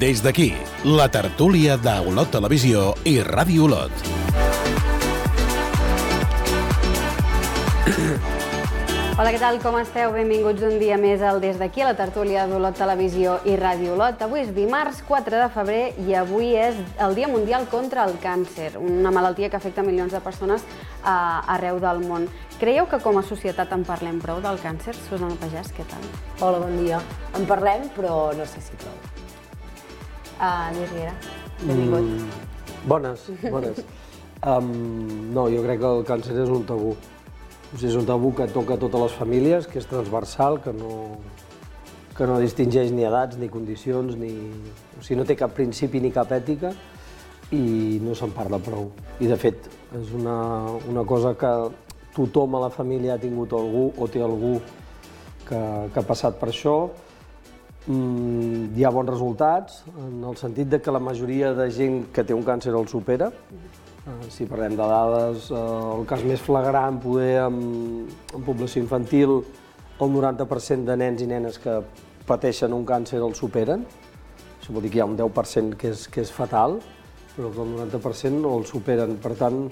Des d'aquí, la tertúlia d'Olot Televisió i Ràdio Olot. Hola, què tal? Com esteu? Benvinguts un dia més al Des d'aquí, a la tertúlia d'Olot Televisió i Ràdio Olot. Avui és dimarts 4 de febrer i avui és el Dia Mundial contra el Càncer, una malaltia que afecta milions de persones arreu del món. Creieu que com a societat en parlem prou del càncer? Susana Pagès, què tal? Hola, bon dia. En parlem, però no sé si prou. Lluís Riera, benvingut. Bones. No, jo crec que el càncer és un tabú. És un tabú que toca a totes les famílies, que és transversal, que no distingeix ni edats, ni condicions, o sigui, no té cap principi ni cap ètica i no se'n parla prou. I, de fet, és una cosa que tothom a la família ha tingut algú o té algú que ha passat per això. Hi ha bons resultats, en el sentit que la majoria de gent que té un càncer el supera. Si parlem de dades, el cas més flagrant, poder en població infantil, el 90% de nens i nenes que pateixen un càncer el superen. Això vol dir que hi ha un 10% que és fatal, però que el 90% el superen. Per tant,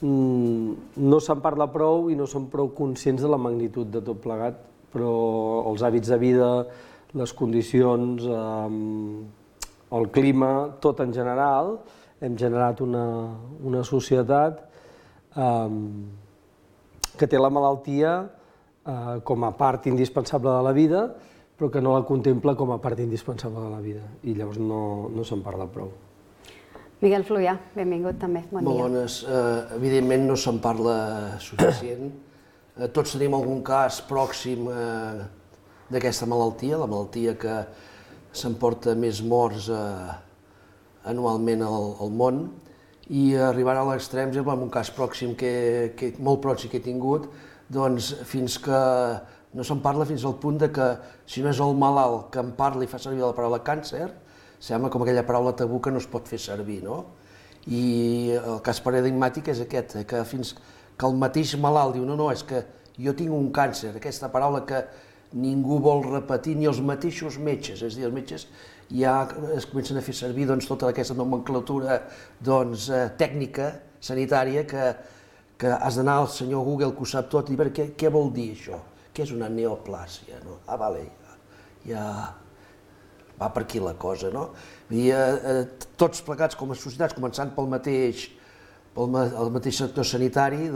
no se'n parla prou i no som prou conscients de la magnitud de tot plegat, però els hàbits de vida, les condicions, el clima, tot en general, hem generat una societat que té la malaltia com a part indispensable de la vida, però que no la contempla com a part indispensable de la vida, i llavors no se'n parla prou. Miguel Fluvià, benvingut també, bon dia. Molt bones. Evidentment no se'n parla suficient. Tots tenim algun cas pròxim d'aquesta malaltia, la malaltia que s'emporta més morts anualment al món, i arribant a l'extrem, en un cas pròxim, molt pròxim que he tingut, doncs fins que no se'n parla fins al punt que si no és el malalt que en parla i fa servir la paraula càncer, sembla com aquella paraula tabú que no es pot fer servir, no? I el cas paradigmàtic és aquest, que fins que el mateix malalt diu no, és que jo tinc un càncer, aquesta paraula que ningú vol repetir, ni els mateixos metges, és a dir, els metges ja es comencen a fer servir tota aquesta nomenclatura tècnica, sanitària, que has d'anar al senyor Google, que ho sap tot, i dir què vol dir això? Què és una neoplàsia? Vale, ja va per aquí la cosa, no? Tots plegats com a societats, començant pel mateix sector sanitari,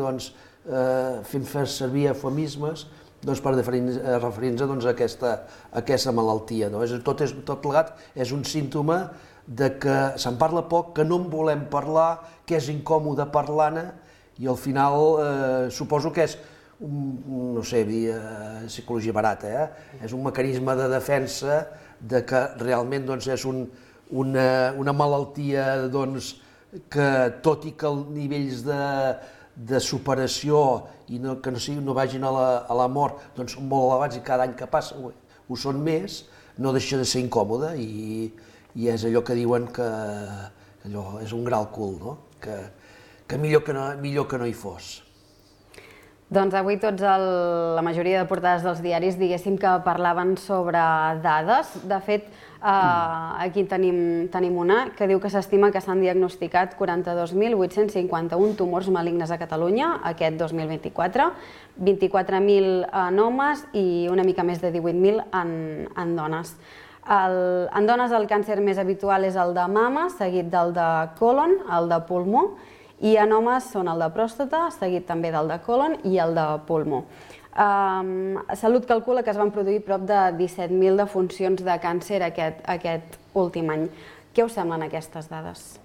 fem fer servir eufemismes per referir-nos a aquesta malaltia. Tot plegat és un símptoma que se'n parla poc, que no en volem parlar, que és incòmode parlar-ne, i al final suposo que és, no sé, psicologia barata, és un mecanisme de defensa que realment és una malaltia que, tot i que els nivells de superació i que no vagin a la mort són molt elevats i cada any que passa ho són més, no deixa de ser incòmode i és allò que diuen que és un gran cul, que millor que no hi fos. Doncs avui la majoria de portades dels diaris diguéssim que parlaven sobre dades. De fet, aquí tenim una que diu que s'estima que s'han diagnosticat 42.851 tumors malignes a Catalunya aquest 2024, 24.000 en homes i una mica més de 18.000 en dones. En dones el càncer més habitual és el de mama, seguit del de còlon, el de pulmó, i en homes són el de pròstata, seguit també del de còlon i el de pulmó. Salut calcula que es van produir prop de 17.000 defuncions de càncer aquest últim any. Què us semblen aquestes dades?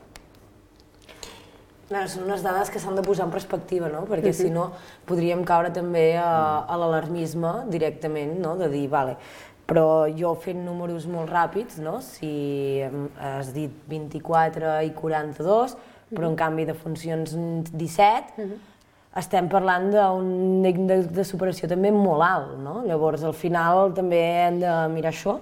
Són unes dades que s'han de posar en perspectiva, perquè si no podríem caure també a l'alarmisme directament, de dir, vale, però jo fent números molt ràpids, si has dit 24 i 42, però en canvi de funcions 17, estem parlant d'un índex de superació també molt alt, Llavors, al final també hem de mirar això,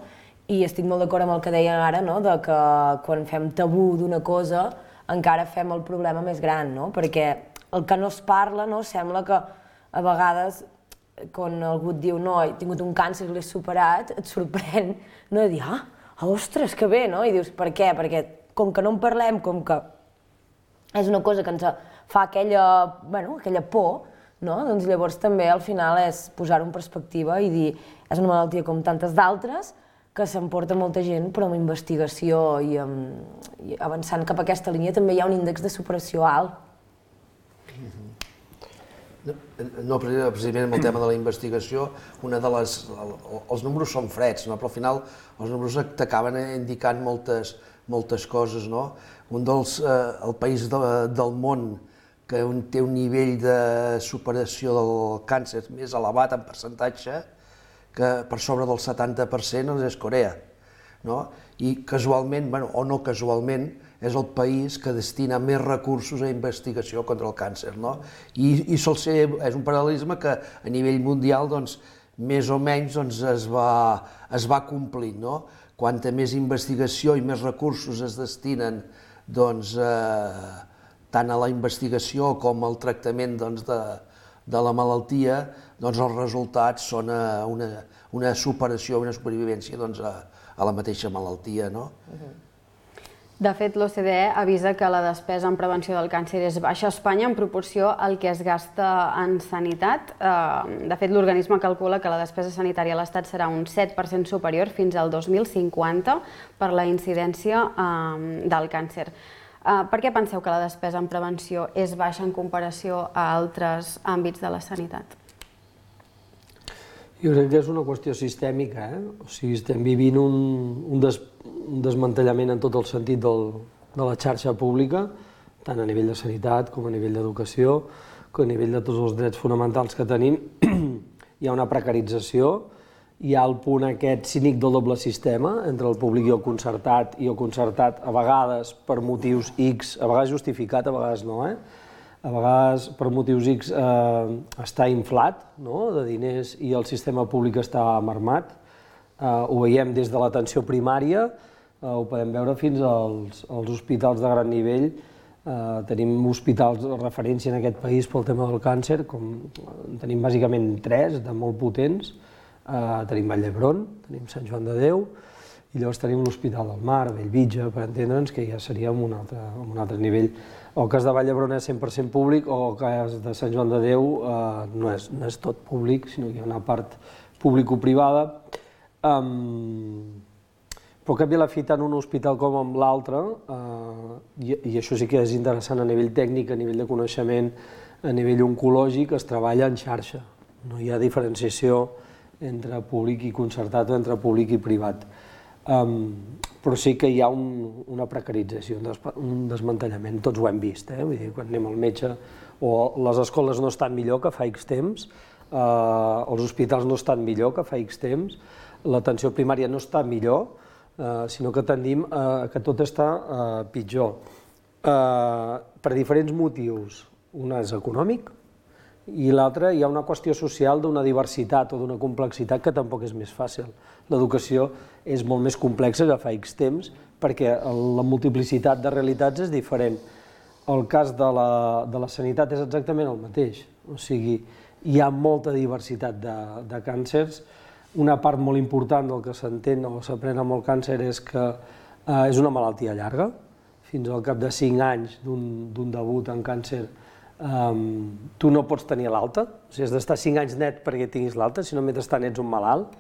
i estic molt d'acord amb el que deia ara, de que quan fem tabú d'una cosa encara fem el problema més gran, perquè el que no es parla sembla que a vegades quan algú et diu no, he tingut un càncer i l'he superat, et sorprèn de dir, ostres, que bé, no? I dius, per què? Perquè com que no en parlem, com que és una cosa que ens fa aquella por, no? Doncs llavors també al final és posar-ho en perspectiva i dir és una malaltia com tantes d'altres que s'emporta molta gent, però amb investigació i avançant cap a aquesta línia també hi ha un índex de superació alt. No, precisament amb el tema de la investigació, els números són freds, però al final els números t'acaben indicant moltes coses. El país del món que té un nivell de superació del càncer més elevat en percentatge, que per sobre del 70% és Corea. I casualment, o no casualment, és el país que destina més recursos a investigació contra el càncer. I sol ser, és un paral·lelisme que a nivell mundial més o menys es va complint. Quanta més investigació i més recursos es destinen tant a la investigació com al tractament de la malaltia, els resultats són una superació, una supervivència a la mateixa malaltia. De fet, l'OCDE avisa que la despesa en prevenció del càncer és baixa a Espanya en proporció al que es gasta en sanitat. De fet, l'organisme calcula que la despesa sanitària a l'Estat serà un 7% superior fins al 2050 per la incidència del càncer. Per què penseu que la despesa en prevenció és baixa en comparació a altres àmbits de la sanitat? Jo crec que és una qüestió sistèmica. O sigui, estem vivint un desmantellament en tot el sentit de la xarxa pública, tant a nivell de sanitat com a nivell d'educació, com a nivell de tots els drets fonamentals que tenim. Hi ha una precarització, hi ha el punt aquest cínic del doble sistema entre el públic i el concertat a vegades per motius X, a vegades justificat, a vegades no, a vegades per motius X està inflat de diners i el sistema públic està amarmat. Ho veiem des de l'atenció primària, ho podem veure fins als hospitals de gran nivell. Tenim hospitals de referència en aquest país pel tema del càncer, tenim bàsicament 3 de molt potents. Tenim Vall d'Hebron, tenim Sant Joan de Déu, i llavors tenim l'Hospital del Mar, Bellvitge, per entendre'ns, que ja seria en un altre nivell. El cas de Vall d'Hebron és 100% públic, o el cas de Sant Joan de Déu no és tot públic, sinó que hi ha una part público-privada. Però cap i a la fi, tant un hospital com en l'altre, i això sí que és interessant a nivell tècnic, a nivell de coneixement, a nivell oncològic, es treballa en xarxa. No hi ha diferenciació entre públic i concertat o entre públic i privat. Però sí que hi ha una precarització, un desmantellament, tots ho hem vist. Vull dir, quan anem al metge, o les escoles no estan millor que fa X temps, els hospitals no estan millor que fa X temps, l'atenció primària no està millor, sinó que tendim que tot està pitjor. Per diferents motius. Un és econòmic, i l'altre hi ha una qüestió social d'una diversitat o d'una complexitat que tampoc és més fàcil. L'educació és molt més complexa que fa X temps perquè la multiplicitat de realitats és diferent. El cas de la sanitat és exactament el mateix, o sigui, hi ha molta diversitat de càncers. Una part molt important del que s'entén o s'aprèn amb el càncer és que és una malaltia llarga. Fins al cap de 5 anys d'un debut en càncer tu no pots tenir l'alta, o sigui, has d'estar 5 anys net perquè tinguis l'alta, si no mentrestant ets un malalt,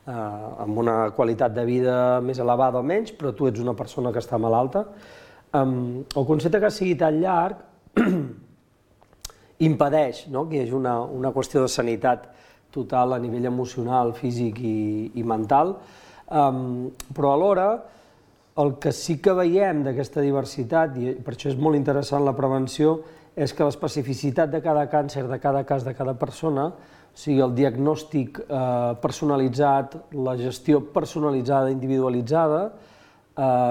amb una qualitat de vida més elevada o menys, però tu ets una persona que està malalta. El concepte que sigui tan llarg impedeix que hi hagi una qüestió de sanitat total a nivell emocional, físic i mental, però alhora el que sí que veiem d'aquesta diversitat, i per això és molt interessant la prevenció, és que l'especificitat de cada càncer, de cada cas, de cada persona, o sigui, el diagnòstic personalitzat, la gestió personalitzada, individualitzada,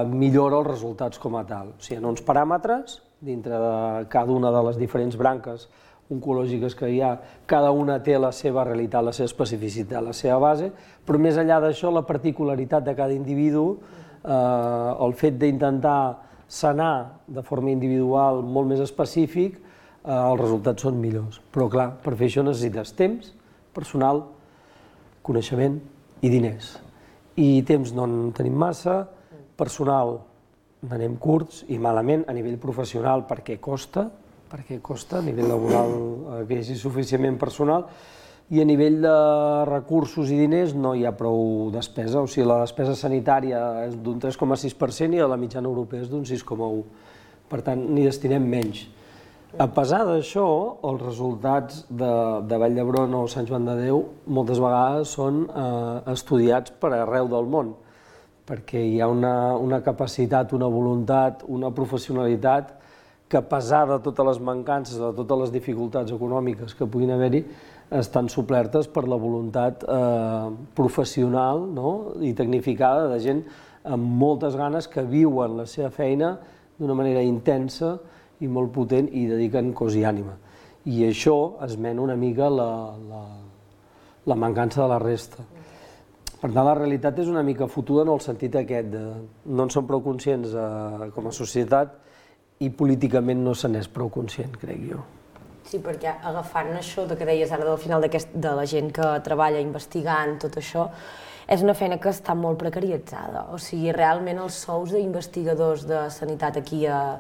millora els resultats com a tal. O sigui, hi ha uns paràmetres dintre de cada una de les diferents branques oncològiques que hi ha, cada una té la seva realitat, la seva especificitat, la seva base, però més enllà d'això, la particularitat de cada individu, el fet d'intentar sanar de forma individual molt més específic, els resultats són millors. Però clar, per fer això necessites temps, personal, coneixement i diners. I temps no en tenim massa, personal n'anem curts i malament a nivell professional perquè costa, a nivell laboral que hi hagi suficientment personal, i a nivell de recursos i diners no hi ha prou despesa, o sigui, la despesa sanitària és d'un 3,6% i la mitjana europea és d'un 6,1%. Per tant, n'hi destinem menys. A pesar d'això, els resultats de Vall d'Hebron o Sant Joan de Déu moltes vegades són estudiats per arreu del món, perquè hi ha una capacitat, una voluntat, una professionalitat que, a pesar de totes les mancances, de totes les dificultats econòmiques que puguin haver-hi, estan suplertes per la voluntat professional i tecnificada de gent amb moltes ganes que viuen la seva feina d'una manera intensa i molt potent i dediquen cos i ànima. I això esmena una mica la mancança de la resta. Per tant, la realitat és una mica fotuda en el sentit aquest de no en som prou conscients com a societat i políticament no se n'és prou conscient, crec jo. Sí, perquè agafant això que deies ara del final de la gent que treballa investigant tot això, és una feina que està molt precaritzada. O sigui, realment els sous d'investigadors de sanitat aquí a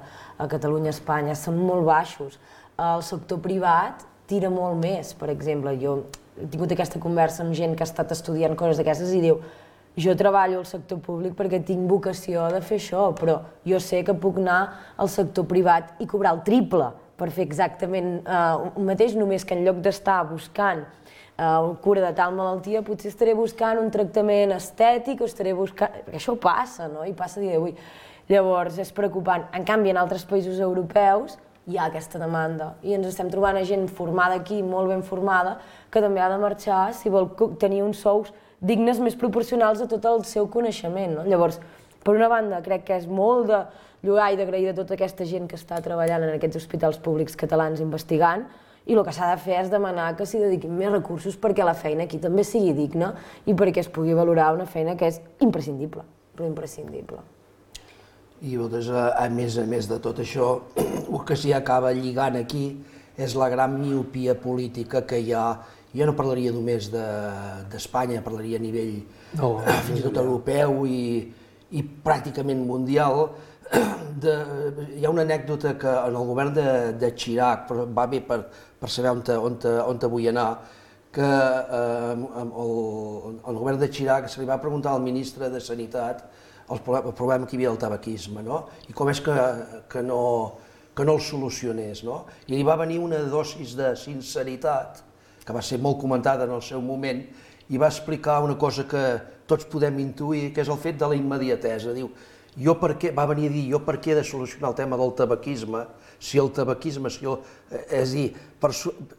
Catalunya, a Espanya, són molt baixos. El sector privat tira molt més, per exemple. Jo he tingut aquesta conversa amb gent que ha estat estudiant coses d'aquestes i diu jo treballo al sector públic perquè tinc vocació de fer això, però jo sé que puc anar al sector privat i cobrar el triple per fer exactament el mateix, només que en lloc d'estar buscant cura de tal malaltia, potser estaré buscant un tractament estètic o estaré buscant... Perquè això passa, no? I passa a dia d'avui. Llavors, és preocupant. En canvi, en altres països europeus hi ha aquesta demanda i ens estem trobant a gent formada aquí, molt ben formada, que també ha de marxar si vol tenir uns sous dignes més proporcionals a tot el seu coneixement. Llavors, per una banda, crec que és molt de lloar i d'agrair de tota aquesta gent que està treballant en aquests hospitals públics catalans investigant, i el que s'ha de fer és demanar que s'hi dediquin més recursos perquè la feina aquí també sigui digna i perquè es pugui valorar una feina que és imprescindible, però imprescindible. I a més de tot això, el que s'hi acaba lligant aquí és la gran miopia política que hi ha. Jo no parlaria només d'Espanya, parlaria a nivell fins i tot europeu i pràcticament mundial. Hi ha una anècdota que en el govern de Chirac, però va bé per saber on vull anar, que el govern de Chirac se li va preguntar al ministre de Sanitat el problema que hi havia del tabaquisme, i com és que no el solucionés. I li va venir una dosis de sinceritat, que va ser molt comentada en el seu moment, i va explicar una cosa que tots podem intuir, que és el fet de la immediatesa. Diu, va venir a dir, jo per què he de solucionar el tema del tabaquisme, si el tabaquisme, és a dir,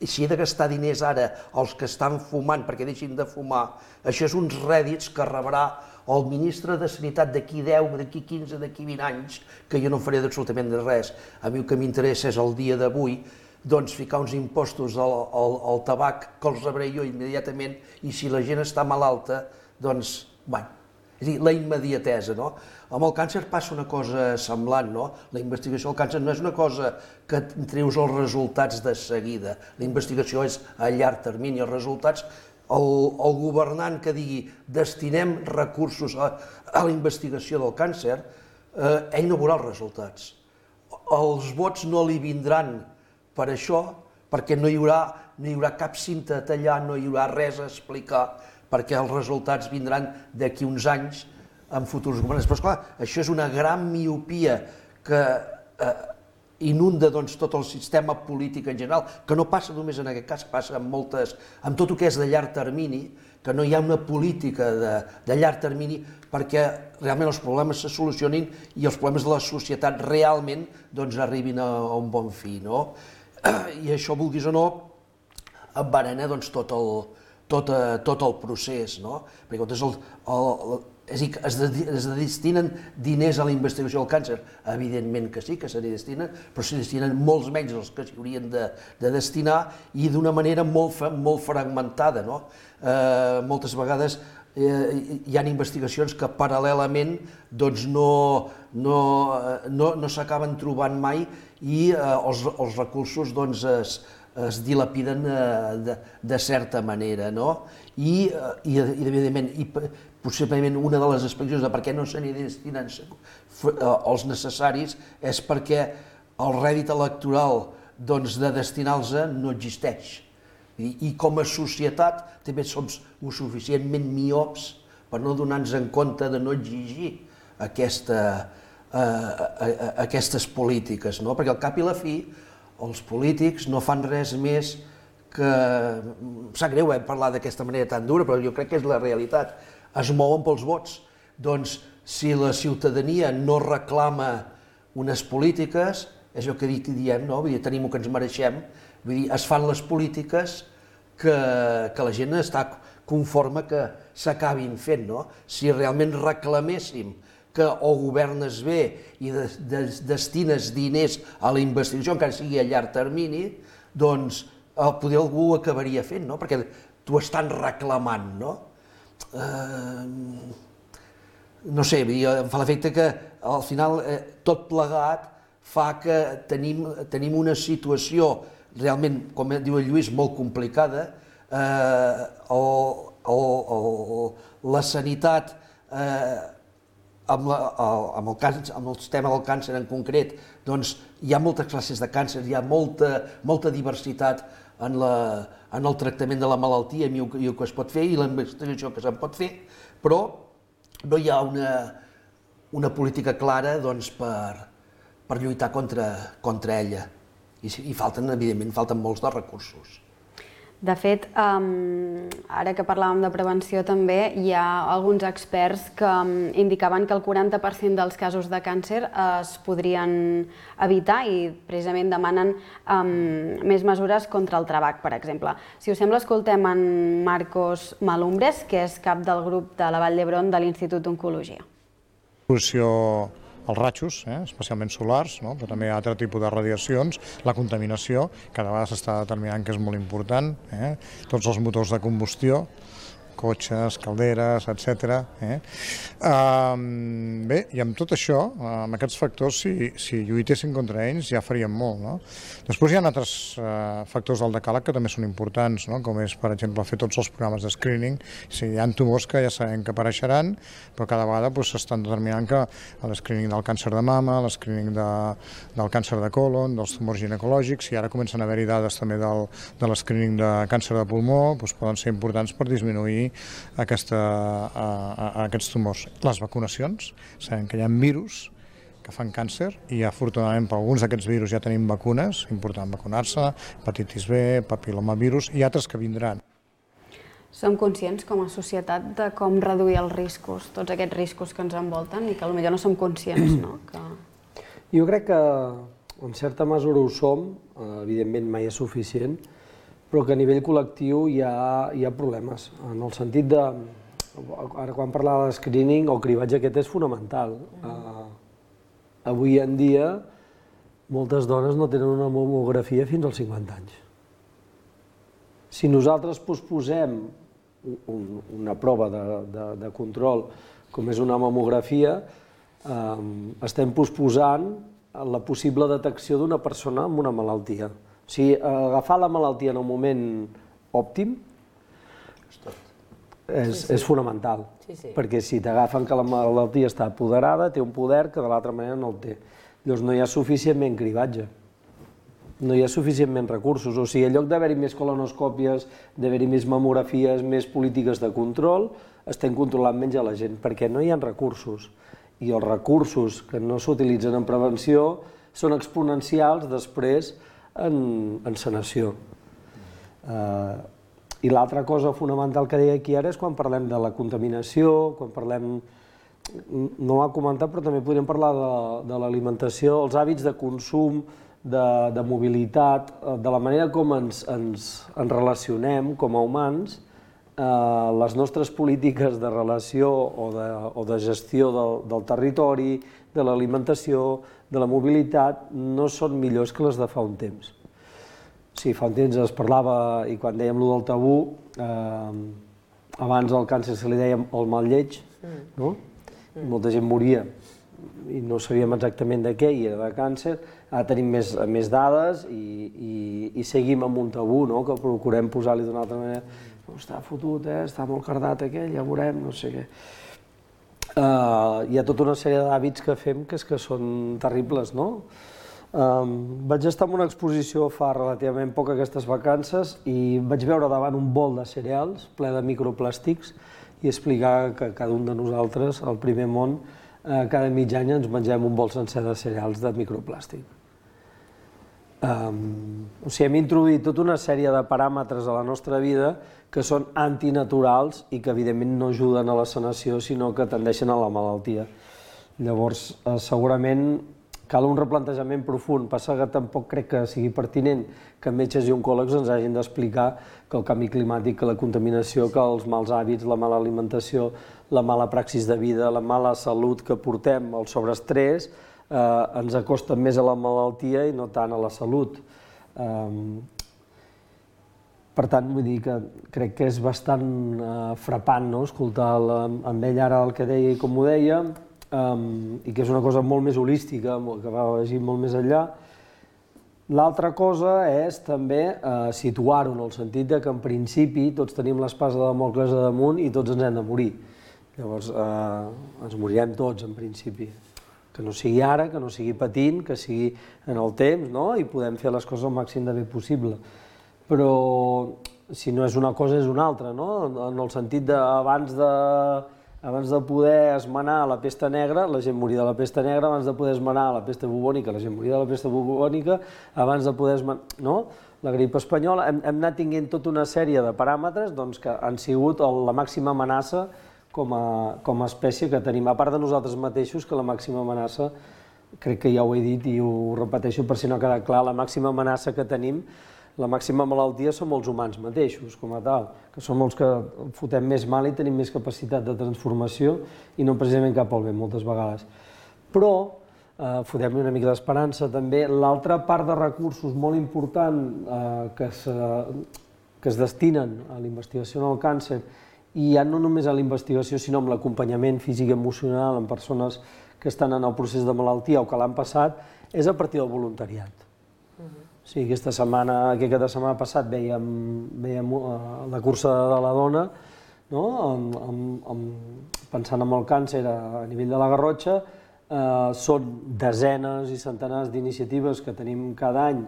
si he de gastar diners ara als que estan fumant perquè deixin de fumar, això és uns rèdits que rebrà el ministre de Sanitat d'aquí 10, d'aquí 15, d'aquí 20 anys, que jo no faré absolutament res. A mi el que m'interessa és el dia d'avui, doncs ficar uns impostos al tabac que els rebré jo immediatament i si la gent està malalta, doncs, bueno, és a dir, la immediatesa, no? Amb el càncer passa una cosa semblant, no? La investigació del càncer no és una cosa que treus els resultats de seguida. La investigació és a llarg termini. Els resultats, el governant que digui destinem recursos a la investigació del càncer, ell no veurà els resultats. Els vots no li vindran per això, perquè no hi haurà cap cinta a tallar, no hi haurà res a explicar, perquè els resultats vindran d'aquí uns anys en futurs governants. Però esclar, això és una gran miopia que inunda tot el sistema polític en general, que no passa només en aquest cas, passa amb tot el que és de llarg termini, que no hi ha una política de llarg termini perquè realment els problemes se solucionin i els problemes de la societat realment arribin a un bon fi. I això, vulguis o no, envenena tot el procés. Perquè és a dir, es destinen diners a la investigació del càncer? Evidentment que sí, que se n'hi destinen, però se n'hi destinen molts menys dels que s'hi haurien de destinar i d'una manera molt fragmentada. Moltes vegades hi ha investigacions que paral·lelament no s'acaben trobant mai i els recursos es dilapiden de certa manera. I evidentment, possiblement una de les explicacions de per què no se n'hi destinen els necessaris és perquè el rèdit electoral de destinar-los no existeix. I com a societat també som suficientment miops per no donar-nos en compte de no exigir aquestes polítiques, no? Perquè al cap i la fi els polítics no fan res més que... Em sap greu parlar d'aquesta manera tan dura, però jo crec que és la realitat. Es mouen pels vots. Doncs si la ciutadania no reclama unes polítiques, és el que diem, no? Vull dir, tenim el que ens mereixem, vull dir, es fan les polítiques que la gent està conforme que s'acabin fent, no? Si realment reclaméssim que o governes bé i destines diners a la investigació, encara sigui a llarg termini, doncs poder algú ho acabaria fent, no? Perquè t'ho estan reclamant, no? No sé, em fa l'efecte que al final tot plegat fa que tenim una situació realment, com diu el Lluís, molt complicada. La sanitat, amb el tema del càncer en concret, doncs hi ha moltes classes de càncer, hi ha molta diversitat en el tractament de la malaltia i el que es pot fer i la investigació que se'n pot fer, però no hi ha una política clara per lluitar contra ella. I evidentment, falten molts dels recursos. De fet, ara que parlàvem de prevenció també, hi ha alguns experts que indicaven que el 40% dels casos de càncer es podrien evitar i precisament demanen més mesures contra el tabac, per exemple. Si us sembla, escoltem en Marcos Malumbres, que és cap del grup de la Vall d'Hebron de l'Institut d'Oncologia. Els rajos, especialment solars, però també hi ha altre tipus de radiacions, la contaminació, cada vegada s'està determinant que és molt important, tots els motors de combustió, cotxes, calderes, etc. Bé, i amb tot això, amb aquests factors, si lluitessin contra ells ja faríem molt. Després hi ha altres factors del decàleg que també són importants, com és, per exemple, fer tots els programes de screening. Si hi ha tumors que ja sabem que apareixeran, però cada vegada s'estan determinant que l'escreening del càncer de mama, l'escreening del càncer de colon, dels tumors ginecològics, i ara comencen a haver-hi dades també de l'escreening de càncer de pulmó, poden ser importants per disminuir aquests tumors. Les vacunacions, sabem que hi ha virus que fan càncer i afortunadament per alguns d'aquests virus ja tenim vacunes, important vacunar-se, hepatitis B, papilomavirus i altres que vindran. Som conscients com a societat de com reduir els riscos, tots aquests riscos que ens envolten i que potser no som conscients, no? Jo crec que en certa mesura ho som, evidentment mai és suficient, però que a nivell col·lectiu hi ha problemes, en el sentit de, ara quan parlava de screening, el cribatge aquest és fonamental. Avui en dia, moltes dones no tenen una mamografia fins als 50 anys. Si nosaltres posposem una prova de control, com és una mamografia, estem posposant la possible detecció d'una persona amb una malaltia. O sigui, agafar la malaltia en un moment òptim és fonamental, perquè si t'agafen que la malaltia està apoderada, té un poder que de l'altra manera no el té. Llavors no hi ha suficientment cribatge, no hi ha suficientment recursos. O sigui, en lloc d'haver-hi més colonoscòpies, d'haver-hi més mamografies, més polítiques de control, estem controlant menys a la gent, perquè no hi ha recursos. I els recursos que no s'utilitzen en prevenció són exponencials després en sanació. I l'altra cosa fonamental que deia aquí ara és quan parlem de la contaminació, quan parlem, no ho ha comentat, però també podríem parlar de l'alimentació, els hàbits de consum, de mobilitat, de la manera com ens relacionem com a humans, les nostres polítiques de relació o de gestió del territori, de l'alimentació, de la mobilitat, no són millors que les de fa un temps. Sí, fa un temps es parlava, i quan dèiem allò del tabú, abans al càncer se li dèiem el mal lleig, no? Molta gent moria i no sabíem exactament de què, i era de càncer. Ara tenim més dades i seguim amb un tabú, que procurem posar-li d'una altra manera. Està fotut, està molt cardat aquell, ja veurem, no sé què. Hi ha tota una sèrie d'hàbits que fem que són terribles, no? Vaig estar en una exposició fa relativament poc aquestes vacances i vaig veure davant un bol de cereals ple de microplàstics i explicar que cada un de nosaltres, al primer món, cada mig any ens mengem un bol sencer de cereals de microplàstic. Hem introduït tota una sèrie de paràmetres a la nostra vida que són antinaturals i que evidentment no ajuden a la sanació, sinó que tendeixen a la malaltia. Llavors, segurament cal un replantejament profund. Passa que tampoc crec que sigui pertinent que metges i oncòlegs ens hagin d'explicar que el canvi climàtic, que la contaminació, que els mals hàbits, la mala alimentació, la mala praxis de vida, la mala salut que portem, el sobreestrès, ens acosta més a la malaltia i no tant a la salut. Per tant, vull dir que crec que és bastant frapant escoltar amb ell ara el que deia i com ho deia, i que és una cosa molt més holística, que va vagi molt més enllà. L'altra cosa és també situar-ho en el sentit que en principi tots tenim l'espasa de Dàmocles a damunt i tots ens hem de morir. Llavors ens morirem tots en principi. Que no sigui ara, que no sigui patint, que sigui en el temps, i podem fer les coses el màxim de bé possible. Però si no és una cosa és una altra, en el sentit d'abans de poder esmenar la pesta negra, la gent moria de la pesta negra, abans de poder esmenar la pesta bubònica, la gent moria de la pesta bubònica, abans de poder esmenar... La grip espanyola, hem anat tinguent tota una sèrie de paràmetres que han sigut la màxima amenaça com a espècie que tenim. A part de nosaltres mateixos, que la màxima amenaça, crec que ja ho he dit i ho repeteixo per si no ha quedat clar, la màxima amenaça que tenim, la màxima malaltia som els humans mateixos, com a tal, que som els que fotem més mal i tenim més capacitat de transformació i no precisament cap al bé, moltes vegades. Però fotem-hi una mica d'esperança també. L'altra part de recursos molt important que es destinen a la investigació en el càncer, i ja no només a la investigació, sinó amb l'acompanyament físic i emocional en persones que estan en el procés de malaltia o que l'han passat, és a partir del voluntariat. Sí, aquesta setmana passat vèiem la cursa de la dona, pensant en el càncer a nivell de la Garrotxa. Són desenes i centenars d'iniciatives que tenim cada any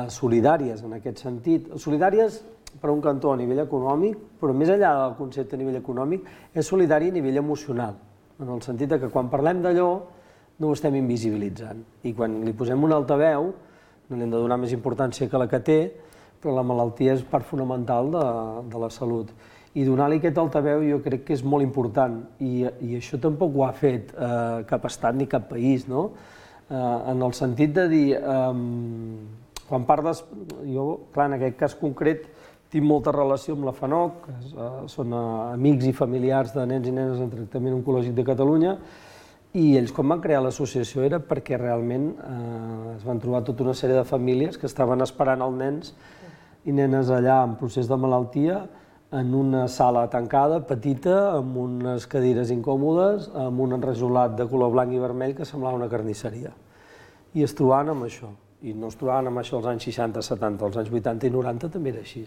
solidàries en aquest sentit. Solidàries per un cantó a nivell econòmic, però més enllà del concepte a nivell econòmic, és solidari a nivell emocional, en el sentit que quan parlem d'allò no ho estem invisibilitzant. I quan li posem un altaveu, no li hem de donar més importància que la que té, però la malaltia és part fonamental de la salut. I donar-li aquest altaveu jo crec que és molt important, i això tampoc ho ha fet cap estat ni cap país, en el sentit de dir, quan parles, jo, clar, en aquest cas concret, tinc molta relació amb la FANOC, que són amics i familiars de nens i nenes en tractament oncològic de Catalunya, i ells quan van crear l'associació era perquè realment es van trobar tota una sèrie de famílies que estaven esperant els nens i nenes allà en procés de malaltia, en una sala tancada, petita, amb unes cadires incòmodes, amb un enrajolat de color blanc i vermell que semblava una carnisseria. I es trobaven amb això. I no es trobaven amb això als anys 60, 70, als anys 80 i 90 també era així.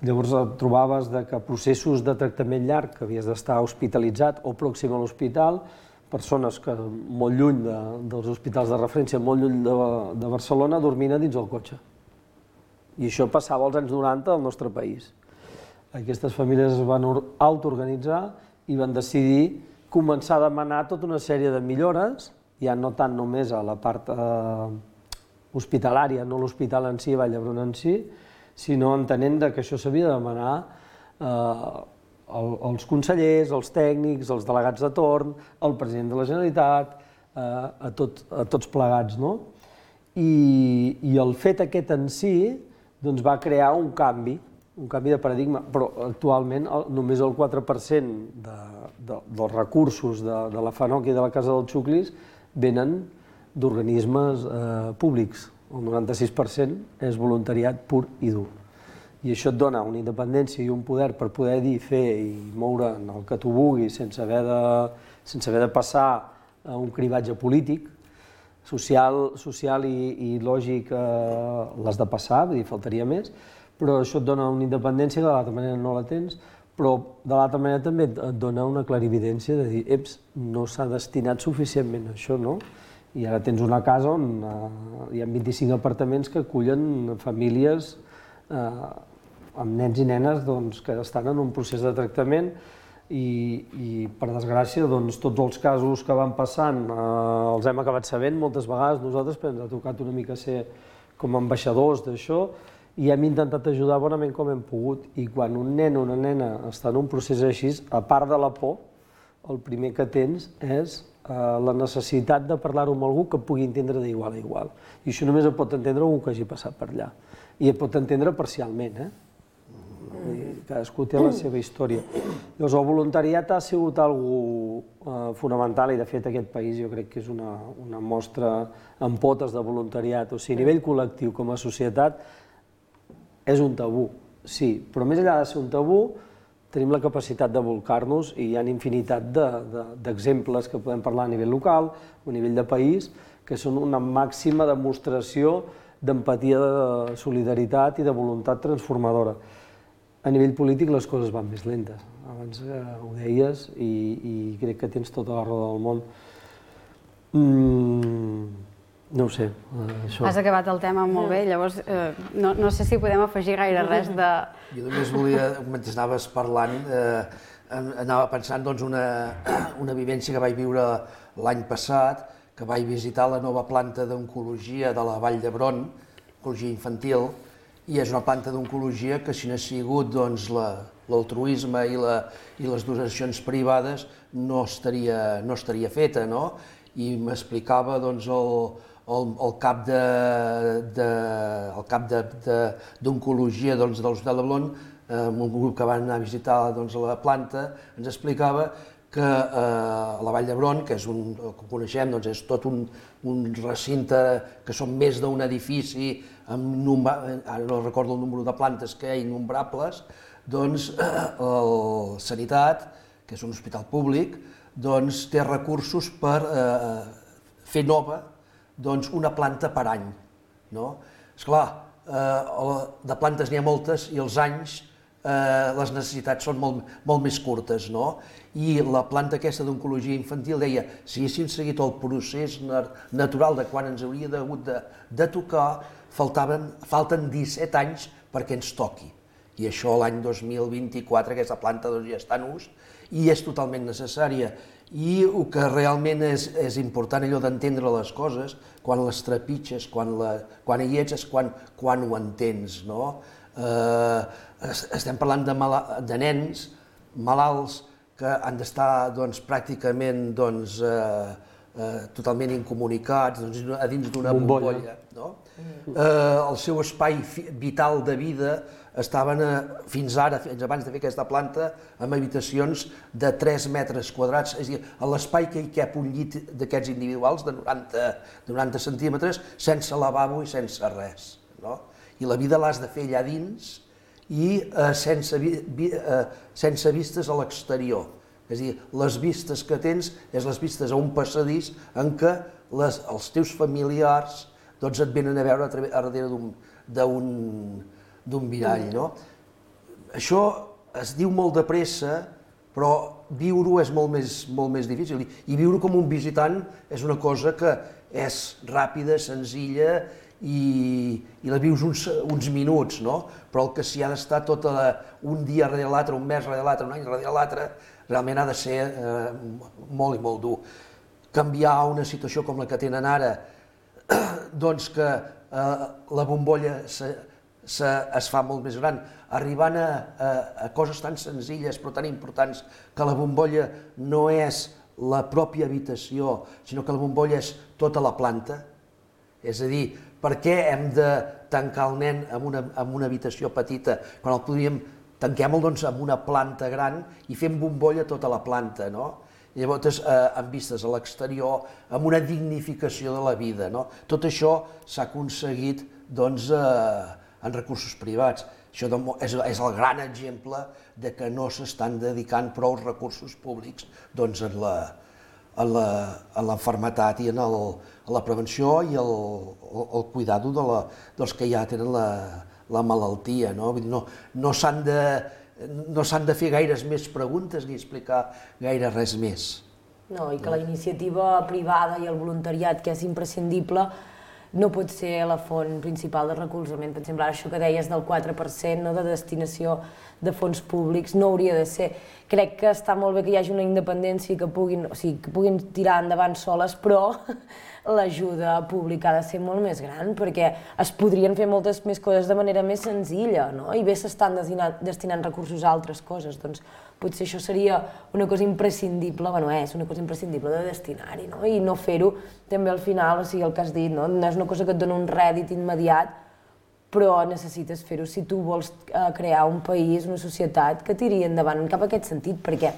Llavors trobaves que processos de tractament llarg, que havies d'estar hospitalitzat o pròxim a l'hospital, persones que molt lluny dels hospitals de referència, molt lluny de Barcelona, dormien dins el cotxe. I això passava als anys 90 al nostre país. Aquestes famílies es van autoorganitzar i van decidir començar a demanar tota una sèrie de millores, ja no tant només a la part hospitalària, no l'hospital en si, Vall d'Hebron en si, sinó entenent que això s'havia de demanar als consellers, als tècnics, als delegats de torn, al president de la Generalitat, a tots plegats. I el fet aquest en si va crear un canvi de paradigma, però actualment només el 4% dels recursos de la FANOC i de la Casa dels Xuclis venen d'organismes públics. El 96% és voluntariat pur i dur. I això et dona una independència i un poder per poder dir, fer i moure el que tu vulguis sense haver de passar un cribatge polític, social i lògic l'has de passar, vull dir, faltaria més, però això et dona una independència que de l'altra manera no la tens, però de l'altra manera també et dona una clarividència de dir, no s'ha destinat suficientment a això, no? I ara tens una casa on hi ha 25 apartaments que acullen famílies amb nens i nenes que estan en un procés de tractament i per desgràcia, tots els casos que van passant els hem acabat sabent moltes vegades nosaltres, però ens ha tocat una mica ser com a ambaixadors d'això i hem intentat ajudar bonament com hem pogut. I quan un nen o una nena està en un procés així, a part de la por, el primer que tens és la necessitat de parlar-ho amb algú que pugui entendre d'igual a igual. I això només ho pot entendre algú que hagi passat per allà. I et pot entendre parcialment, cadascú té la seva història. Llavors, el voluntariat ha sigut algo fonamental i, de fet, aquest país jo crec que és una mostra en potes de voluntariat. O sigui, a nivell col·lectiu, com a societat, és un tabú, sí, però més enllà de ser un tabú, tenim la capacitat de volcar-nos i hi ha infinitat d'exemples que podem parlar a nivell local o a nivell de país, que són una màxima demostració d'empatia, de solidaritat i de voluntat transformadora. A nivell polític les coses van més lentes, abans ho deies i crec que tens tota la raó del món. No ho sé, això... Has acabat el tema molt bé, llavors no sé si podem afegir gaire res de... Jo només volia, mentre anaves parlant, anava pensant una vivència que vaig viure l'any passat, que vaig visitar la nova planta d'oncologia de la Vall d'Hebron, oncologia infantil, i és una planta d'oncologia que si no ha sigut l'altruisme i les donacions privades no estaria feta, no? I m'explicava el cap d'oncologia de l'Hospital de Blon, un grup que van anar a visitar la planta, ens explicava que a la Vall d'Hebron, que és com coneixem, és tot un recinte que són més d'un edifici, ara no recordo el número de plantes que hi ha, innombrables, doncs el Sanitat, que és un hospital públic, doncs té recursos per fer nova una planta per any. Esclar, de plantes n'hi ha moltes i els anys les necessitats són molt més curtes, no? I la planta aquesta d'oncologia infantil deia si haguéssim seguit el procés natural de quan ens hauria hagut de tocar, falten 17 anys perquè ens toqui. I això l'any 2024 aquesta planta ja està en ús i és totalment necessària. I el que realment és important allò d'entendre les coses, quan les trepitges, quan hi ets, és quan ho entens, no? Estem parlant de nens malalts que han d'estar pràcticament totalment incomunicats a dins d'una bombolla. El seu espai vital de vida estaven fins abans de fer aquesta planta, amb habitacions de 3 metres quadrats, és a dir, a l'espai que hi cap un llit d'aquests individuals de 90 centímetres, sense lavabo i sense res. I la vida l'has de fer allà dins i sense vistes a l'exterior. És a dir, les vistes que tens és les vistes a un passadís en què els teus familiars et venen a veure a darrere d'un mirall. Això es diu molt de pressa, però viure-ho és molt més difícil. I viure com un visitant és una cosa que és ràpida, senzilla, i la vius uns minuts, però el que s'hi ha d'estar un dia darrere l'altre, un mes darrere l'altre, un any darrere l'altre, realment ha de ser molt i molt dur. Canviar una situació com la que tenen ara, doncs que la bombolla es fa molt més gran, arribant a coses tan senzilles però tan importants que la bombolla no és la pròpia habitació, sinó que la bombolla és tota la planta. És a dir, per què hem de tancar el nen en una habitació petita quan el podríem tanquem-lo en una planta gran i fem bombolla tota la planta, no? Llavors, amb vistes a l'exterior, amb una dignificació de la vida, no? Tot això s'ha aconseguit, doncs, en recursos privats. Això és el gran exemple de que no s'estan dedicant prou recursos públics, doncs, a l'enfermetat i a la prevenció i al cuidado dels que ja tenen la malaltia. Vull dir, no s'han de fer gaires més preguntes ni explicar gaire res més. No, i que la iniciativa privada i el voluntariat, que és imprescindible, no pot ser la font principal de recolzament. Per exemple, ara això que deies del 4% de destinació de fons públics no hauria de ser. Crec que està molt bé que hi hagi una independència i que puguin tirar endavant soles, però l'ajuda pública ha de ser molt més gran, perquè es podrien fer moltes més coses de manera més senzilla, no? I bé s'estan destinant recursos a altres coses, doncs potser això seria una cosa imprescindible, és una cosa imprescindible de destinar-hi, no? I no fer-ho també al final, o sigui, el que has dit, no és una cosa que et dona un rèdit immediat, però necessites fer-ho si tu vols crear un país, una societat que tiri endavant cap a aquest sentit, perquè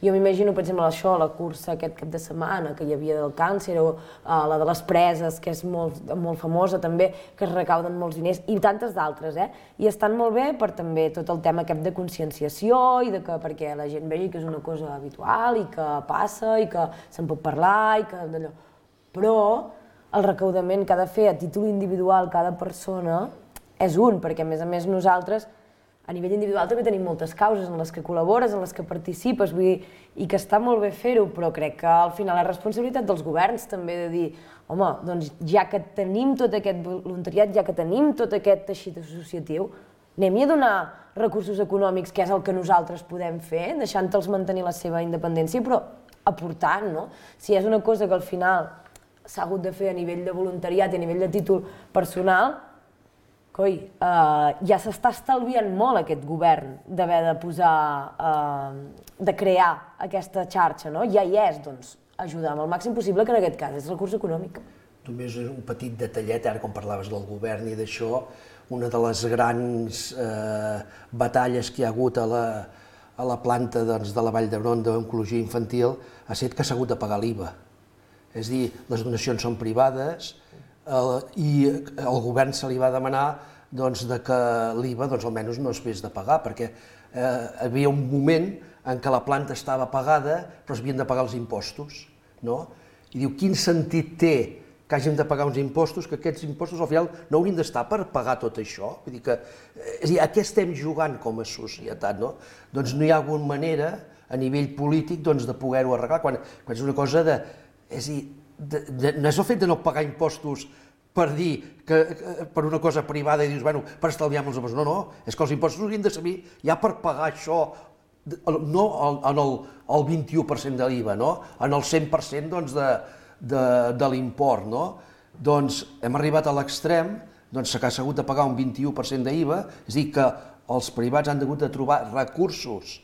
jo m'imagino, per exemple, això, la cursa aquest cap de setmana que hi havia del càncer, o la de les preses, que és molt famosa també, que es recauden molts diners, i tantes d'altres, i estan molt bé per també tot el tema aquest de conscienciació, i perquè la gent vegi que és una cosa habitual, i que passa, i que se'n pot parlar, i que d'allò. Però el recaudament que ha de fer a títol individual cada persona és un, perquè a més nosaltres a nivell individual també tenim moltes causes en les que col·labores, en les que participes, vull dir, i que està molt bé fer-ho, però crec que al final és responsabilitat dels governs també de dir, home, doncs ja que tenim tot aquest voluntariat, ja que tenim tot aquest teixit associatiu, anem-hi a donar recursos econòmics, que és el que nosaltres podem fer, deixant-los mantenir la seva independència, però aportant, no? Si és una cosa que al final s'ha hagut de fer a nivell de voluntariat i a nivell de títol personal, coi, ja s'està estalviant molt aquest govern d'haver de de crear aquesta xarxa, no? Ja hi és, doncs, ajudar amb el màxim possible, que en aquest cas és recurs econòmic. Només un petit detallet, ara quan parlaves del govern i d'això, una de les grans batalles que hi ha hagut a la planta de la Vall d'Hebron d'oncologia infantil ha estat que s'ha hagut de pagar l'IVA. És a dir, les donacions són privades, i al govern se li va demanar que l'IVA almenys no es hagués de pagar, perquè hi havia un moment en què la planta estava pagada però es havien de pagar els impostos. I diu, quin sentit té que hàgim de pagar uns impostos, que aquests impostos al final no haurien d'estar per pagar tot això? Vull dir que, és a dir, a què estem jugant com a societat? Doncs no hi ha alguna manera a nivell polític de poder-ho arreglar, quan és una cosa de... És a dir, no és el fet de no pagar impostos per dir que per una cosa privada i dius, bueno, per estalviar-nos els impostos. No, és que els impostos haurien de servir ja per pagar això, no en el 21% de l'IVA, en el 100% de l'import. Doncs hem arribat a l'extrem que s'ha hagut de pagar un 21% d'IVA, és a dir, que els privats han hagut de trobar recursos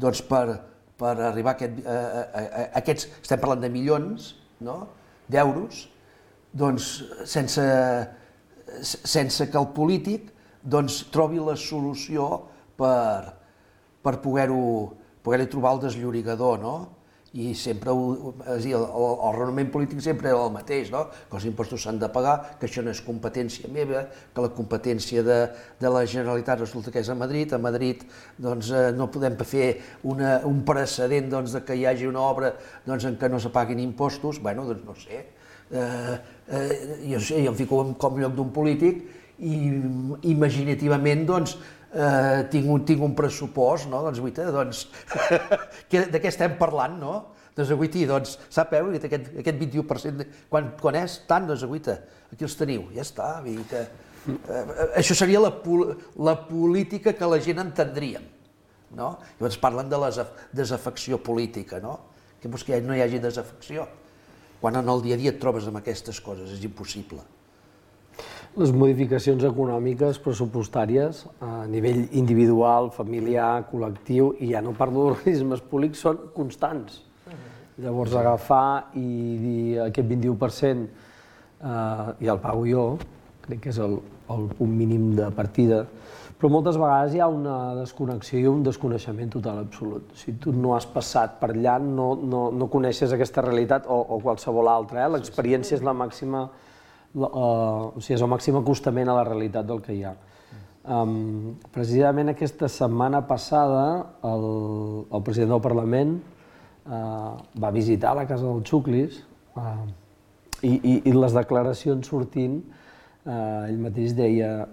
per arribar a aquests, estem parlant de milions d'euros, sense que el polític trobi la solució per poder-hi trobar el desllorigador. I sempre, el raonament polític sempre era el mateix, que els impostos s'han de pagar, que això no és competència meva, que la competència de la Generalitat resulta que és a Madrid no podem fer un precedent que hi hagi una obra en què no se paguin impostos, bueno, doncs no sé, jo em fico com lloc d'un polític i imaginativament tinc un pressupost, doncs guaita, de què estem parlant, no? Doncs guaita, sapeu, aquest 21%, quan és tant, doncs guaita, aquí els teniu, ja està, vull dir que això seria la política que la gent entendríem, no? Llavors parlen de la desafecció política, no? Que vols que no hi hagi desafecció? Quan en el dia a dia et trobes amb aquestes coses, és impossible. Les modificacions econòmiques, pressupostàries, a nivell individual, familiar, col·lectiu, i ja no parlo d'organismes públics, són constants. Llavors agafar i dir aquest 21% ja el pago jo, crec que és el punt mínim de partida, però moltes vegades hi ha una desconnexió i un desconeixement total absolut. Si tu no has passat per allà, no coneixes aquesta realitat o qualsevol altra. L'experiència és la màxima, és el màxim acostament a la realitat del que hi ha. Precisament aquesta setmana passada el president del Parlament va visitar la casa dels Xuclis i les declaracions sortint, ell mateix deia,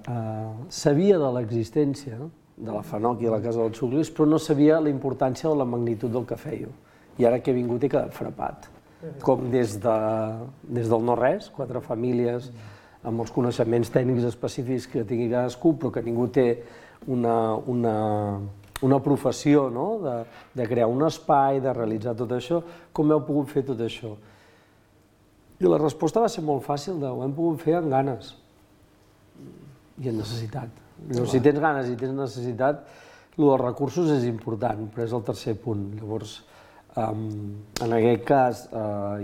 sabia de l'existència de la FANOC i de la casa dels Xuclis, però no sabia la importància o la magnitud del que fèieu. I ara que he vingut he quedat frapat. Com des del no-res, 4 famílies amb els coneixements tècnics específics que tingui cadascú, però que ningú té una professió de crear un espai, de realitzar tot això, com heu pogut fer tot això? I la resposta va ser molt fàcil, ho hem pogut fer amb ganes i amb necessitat. Si tens ganes i tens necessitat, el dels recursos és important, però és el tercer punt. Llavors, en aquest cas,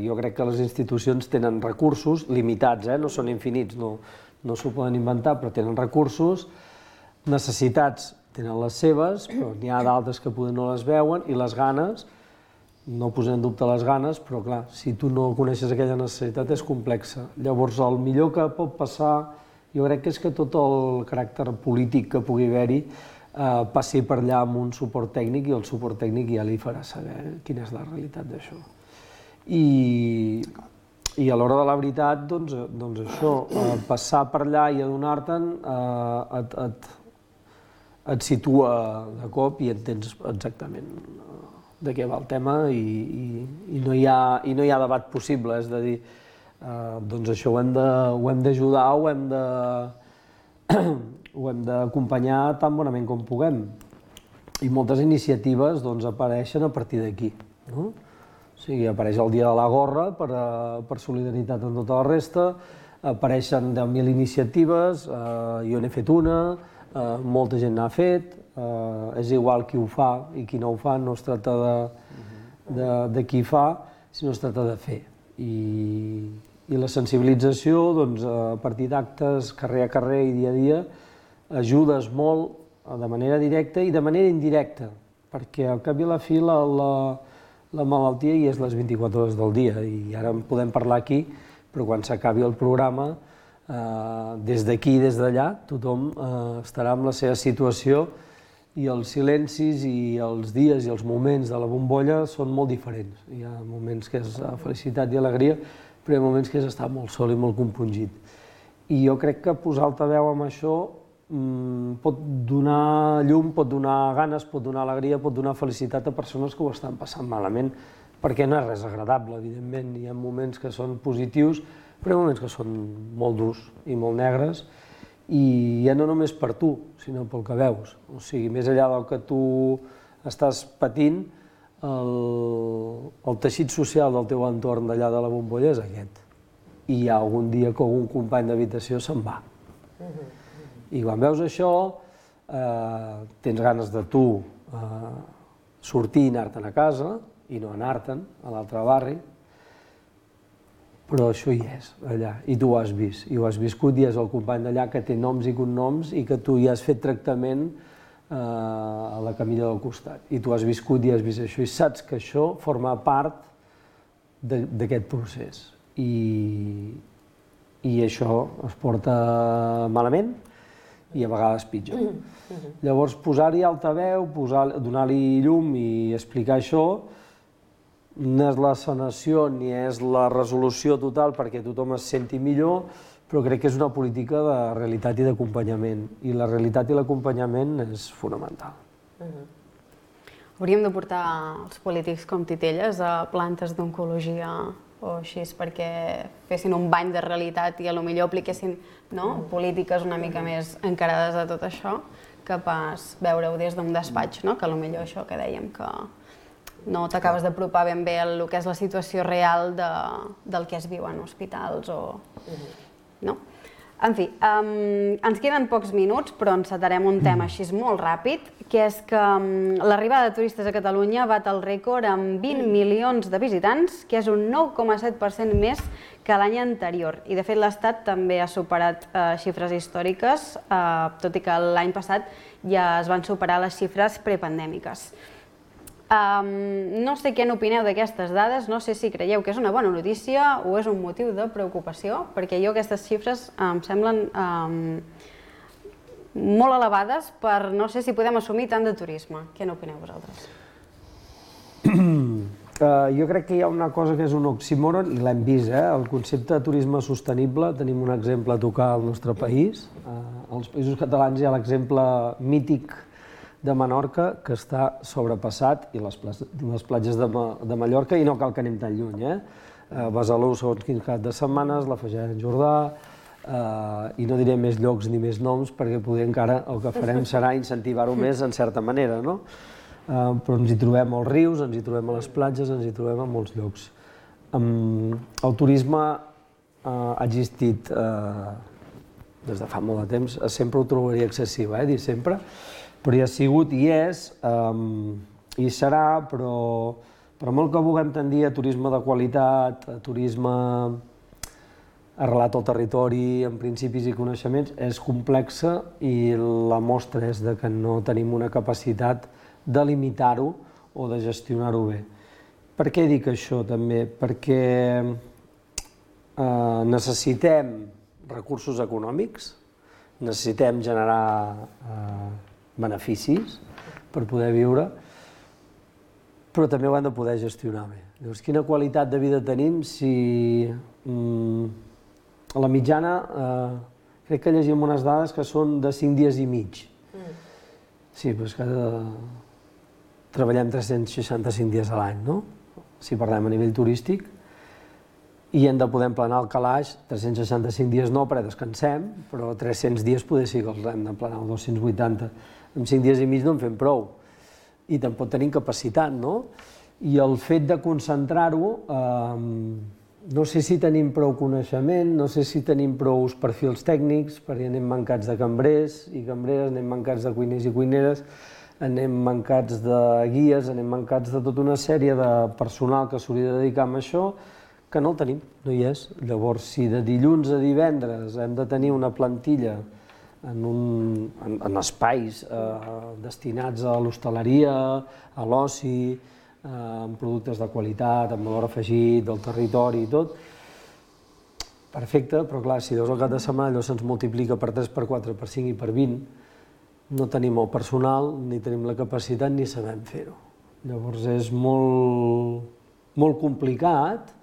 jo crec que les institucions tenen recursos limitats, no són infinits, no s'ho poden inventar, però tenen recursos, necessitats tenen les seves, però n'hi ha d'altres que potser no les veuen, i les ganes, no posem en dubte les ganes, però clar, si tu no coneixes aquella necessitat és complexa. Llavors, el millor que pot passar, jo crec que és que tot el caràcter polític que pugui haver-hi passi per allà amb un suport tècnic i el suport tècnic ja li farà saber quina és la realitat d'això. I a l'hora de la veritat, doncs això, passar per allà i adonar-te'n et situa de cop i entens exactament de què va el tema i no hi ha debat possible, és a dir, doncs això ho hem d'ajudar, ho hem d'acompanyar tan bonament com puguem. I moltes iniciatives apareixen a partir d'aquí. O sigui, apareix el Dia de la Gorra per solidaritat amb tota la resta, apareixen 10.000 iniciatives, jo n'he fet una, molta gent n'ha fet, és igual qui ho fa i qui no ho fa, no es tracta de qui fa, sinó es tracta de fer. I la sensibilització, a partir d'actes, carrer a carrer i dia a dia, ajudes molt de manera directa i de manera indirecta, perquè al cap i a la fi la malaltia hi és les 24 hores del dia i ara en podem parlar aquí, però quan s'acabi el programa, des d'aquí i des d'allà, tothom estarà en la seva situació i els silencis i els dies i els moments de la bombolla són molt diferents. Hi ha moments que és felicitat i alegria, però hi ha moments que és estar molt sol i molt compungit. I jo crec que posar altaveu amb això pot donar llum, pot donar ganes, pot donar alegria, pot donar felicitat a persones que ho estan passant malament, perquè no és res agradable, evidentment. Hi ha moments que són positius, però hi ha moments que són molt durs i molt negres, i ja no només per tu, sinó pel que veus. O sigui, més enllà del que tu estàs patint, el teixit social del teu entorn d'allà de la bombolla és aquest. I hi ha algun dia que algun company d'habitació se'n va. I quan veus això, tens ganes de tu sortir i anar-te'n a casa, i no anar-te'n a l'altre barri, però això hi és, allà, i tu ho has vist, i ho has viscut, i és el company d'allà que té noms i cognoms i que tu ja has fet tractament a la camilla del costat, i tu has viscut i has vist això, i saps que això forma part d'aquest procés, i això es porta malament i a vegades pitjor. Llavors, posar-hi altaveu, donar-li llum i explicar això, no és la sanació ni és la resolució total perquè tothom es senti millor, però crec que és una política de realitat i d'acompanyament, i la realitat i l'acompanyament és fonamental. Hauríem de portar els polítics com titelles a plantes d'oncologia o així, perquè fessin un bany de realitat i potser apliquessin polítiques una mica més encarades a tot això, que pas veure-ho des d'un despatx, que potser això que dèiem, que no t'acabes d'apropar ben bé el que és la situació real del que es viu en hospitals o... En fi, ens queden pocs minuts, però encetarem un tema així molt ràpid, que és que l'arribada de turistes a Catalunya bat el rècord amb 20 milions de visitants, que és un 9,7% més que l'any anterior. I, de fet, l'Estat també ha superat xifres històriques, tot i que l'any passat ja es van superar les xifres prepandèmiques. No sé què n'opineu d'aquestes dades, no sé si creieu que és una bona notícia o és un motiu de preocupació, perquè jo aquestes xifres em semblen molt elevades per no sé si podem assumir tant de turisme. Què n'opineu vosaltres? Jo crec que hi ha una cosa que és un oxímoron, i l'hem vist, el concepte de turisme sostenible. Tenim un exemple a tocar al nostre país. Als Països Catalans hi ha l'exemple mític de Menorca, que està sobrepassat, i les platges de Mallorca, i no cal que anem tan lluny. Besalú, segons quins cap de setmanes, la Fageda en Jordà, i no diré més llocs ni més noms, perquè poder encara el que farem serà incentivar-ho més en certa manera, no? Però ens hi trobem als rius, ens hi trobem a les platges, ens hi trobem a molts llocs. El turisme ha existit des de fa molt de temps, sempre ho trobaria excessiu, dir sempre, però hi ha sigut i és, i serà, però per molt que vulguem tendir a turisme de qualitat, a turisme arrelat al territori, amb principis i coneixements, és complexa i la mostra és que no tenim una capacitat de limitar-ho o de gestionar-ho bé. Per què dic això també? Perquè necessitem recursos econòmics, necessitem generar beneficis per poder viure, però també ho hem de poder gestionar bé. Llavors, quina qualitat de vida tenim si a la mitjana crec que llegim unes dades que són de 5 dies i mig. Sí, però és que treballem 365 dies a l'any, no? Si parlem a nivell turístic, i hem de poder emplenar el calaix 365 dies no, perquè descansem, però 300 dies poder sí que els hem d'emplenar, o 280. En 5 dies i mig no en fem prou. I tampoc tenim capacitat, no? I el fet de concentrar-ho, no sé si tenim prou coneixement, no sé si tenim prou perfils tècnics, perquè anem mancats de cambrers i cambreres, anem mancats de cuiners i cuineres, anem mancats de guies, anem mancats de tota una sèrie de personal que s'hauria de dedicar a això, que no el tenim, no hi és. Llavors, si de dilluns a divendres hem de tenir una plantilla en espais destinats a l'hostaleria, a l'oci, amb productes de qualitat, amb valor afegit, del territori i tot, perfecte, però clar, si veus el cap de setmana allò se'ns multiplica per 3, per 4, per 5 i per 20, no tenim el personal, ni tenim la capacitat, ni sabem fer-ho. Llavors és molt complicat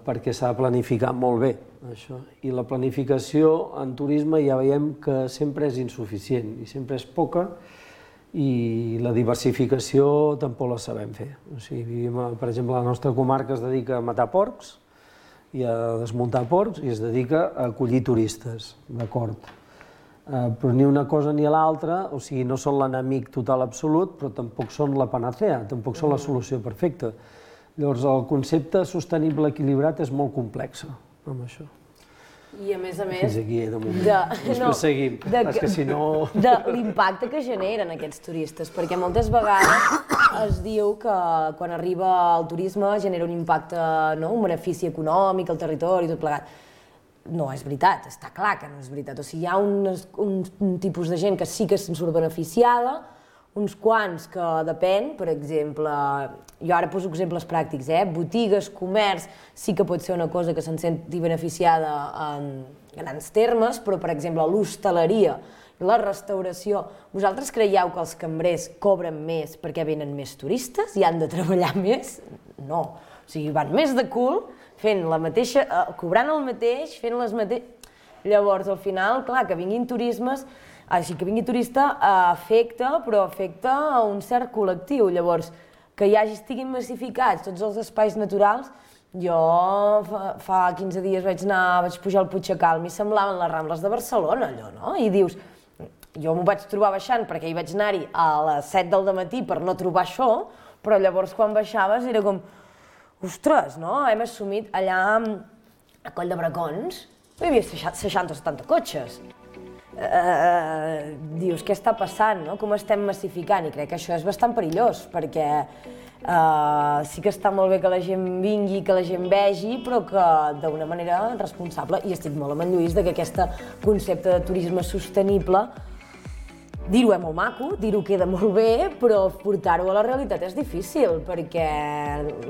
perquè s'ha de planificar molt bé, això. I la planificació en turisme ja veiem que sempre és insuficient i sempre és poca, i la diversificació tampoc la sabem fer. O sigui, per exemple, la nostra comarca es dedica a matar porcs i a desmuntar porcs i es dedica a acollir turistes, d'acord. Però ni una cosa ni l'altra, o sigui, no són l'enemic total absolut, però tampoc són la panacea, tampoc són la solució perfecta. Llavors, el concepte sostenible equilibrat és molt complex amb això. I a més, Fins aquí, de moment. Després seguim. És que si no... De l'impacte que generen aquests turistes, perquè moltes vegades es diu que quan arriba el turisme genera un impacte, un benefici econòmic al territori i tot plegat. No és veritat, està clar que no és veritat. O sigui, hi ha un tipus de gent que sí que se'n surt beneficiada, uns quants que depèn, per exemple, jo ara poso exemples pràctics, botigues, comerç, sí que pot ser una cosa que se'n senti beneficiada en grans termes, però, per exemple, l'hostaleria i la restauració, vosaltres creieu que els cambrers cobren més perquè venen més turistes i han de treballar més? No. O sigui, van més de cul, fent la mateixa, cobrant el mateix, fent les mateixes... Llavors, al final, clar, que vinguin turismes, així que vingui turista afecta, però afecta a un cert col·lectiu. Llavors, que estiguin massificats tots els espais naturals, jo fa 15 dies vaig pujar al Puigdecalm i semblaven les Rambles de Barcelona, allò, no? I dius, jo m'ho vaig trobar baixant perquè hi vaig anar-hi a les 7 del matí per no trobar això, però llavors quan baixaves era com, ostres, no? Hem assumit allà a Coll de Bracons, hi havia 60 o 70 cotxes. Dius, què està passant, no? Com estem massificant? I crec que això és bastant perillós, perquè sí que està molt bé que la gent vingui, que la gent vegi, però que d'una manera responsable, i estic molt amb en Lluís que aquest concepte de turisme sostenible, dir-ho és molt maco, dir-ho queda molt bé, però portar-ho a la realitat és difícil, perquè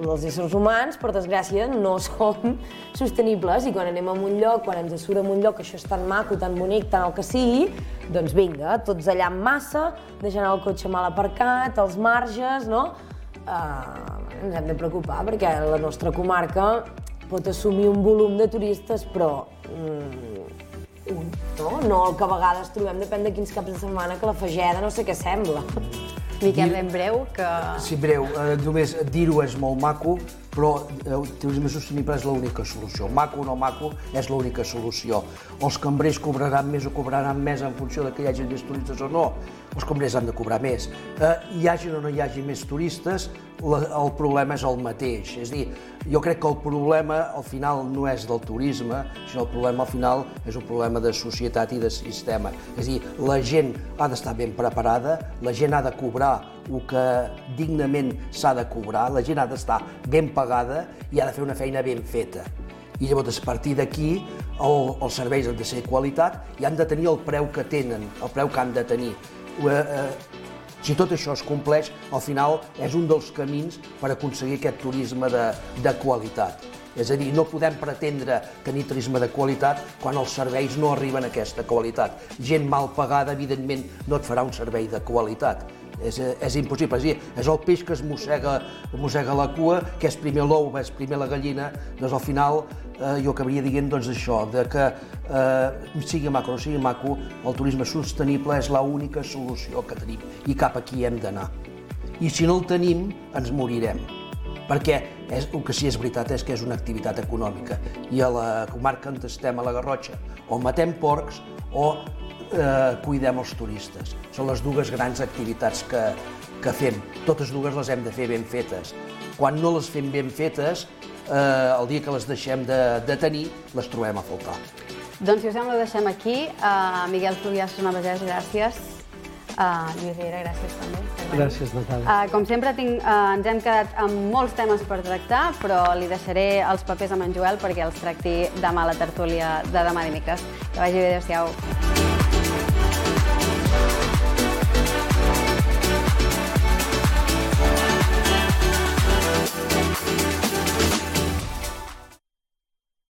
els éssers humans, per desgràcia, no som sostenibles, i quan anem a un lloc, quan ens surt a un lloc que això és tan maco, tan bonic, tant el que sigui, doncs vinga, tots allà en massa, deixant el cotxe mal aparcat, els marges, no? ens hem de preocupar perquè la nostra comarca pot assumir un volum de turistes, però no el que a vegades trobem, depèn de quins caps de setmana, que la Fageda no sé què sembla. Miquel, ben breu, que... Sí, breu. Només dir-ho és molt maco, però el turisme sostenible és l'única solució. Maco o no maco és l'única solució. Els cambrers cobraran més o cobraran més en funció de que hi hagi més turistes o no. Els cambrers han de cobrar més. Hi hagi o no hi hagi més turistes, el problema és el mateix. És a dir, jo crec que el problema al final no és del turisme, sinó el problema al final és un problema de societat i de sistema. És a dir, la gent ha d'estar ben preparada, la gent ha de cobrar el que dignament s'ha de cobrar, la gent ha d'estar ben pagada i ha de fer una feina ben feta. I llavors, a partir d'aquí, els serveis han de ser de qualitat i han de tenir el preu que tenen, el preu que han de tenir. Si tot això es compleix, al final és un dels camins per aconseguir aquest turisme de qualitat. És a dir, no podem pretendre tenir turisme de qualitat quan els serveis no arriben a aquesta qualitat. Gent mal pagada, evidentment, no et farà un servei de qualitat. És impossible. És el peix que es mossega la cua, que és primer l'ou, és primer la gallina. Doncs al final jo acabaria dient això, que sigui maco o no sigui maco, el turisme sostenible és l'única solució que tenim i cap aquí hem d'anar. I si no el tenim, ens morirem. Perquè el que sí és veritat és que és una activitat econòmica i a la comarca on estem, a la Garrotxa, o matem porcs o cuidem els turistes. Són les dues grans activitats que fem. Totes dues les hem de fer ben fetes. Quan no les fem ben fetes, el dia que les deixem de tenir, les trobem a faltar. Doncs, si us sembla, ho deixem aquí. Miguel Fluvià, Susana Bagès, gràcies. Lluís Riera, gràcies també. Gràcies, Natàlia. Com sempre, ens hem quedat amb molts temes per tractar, però li deixaré els papers a en Joel perquè els tracti demà a la tertúlia de demà dimecres. Que vagi bé, adéu-siau.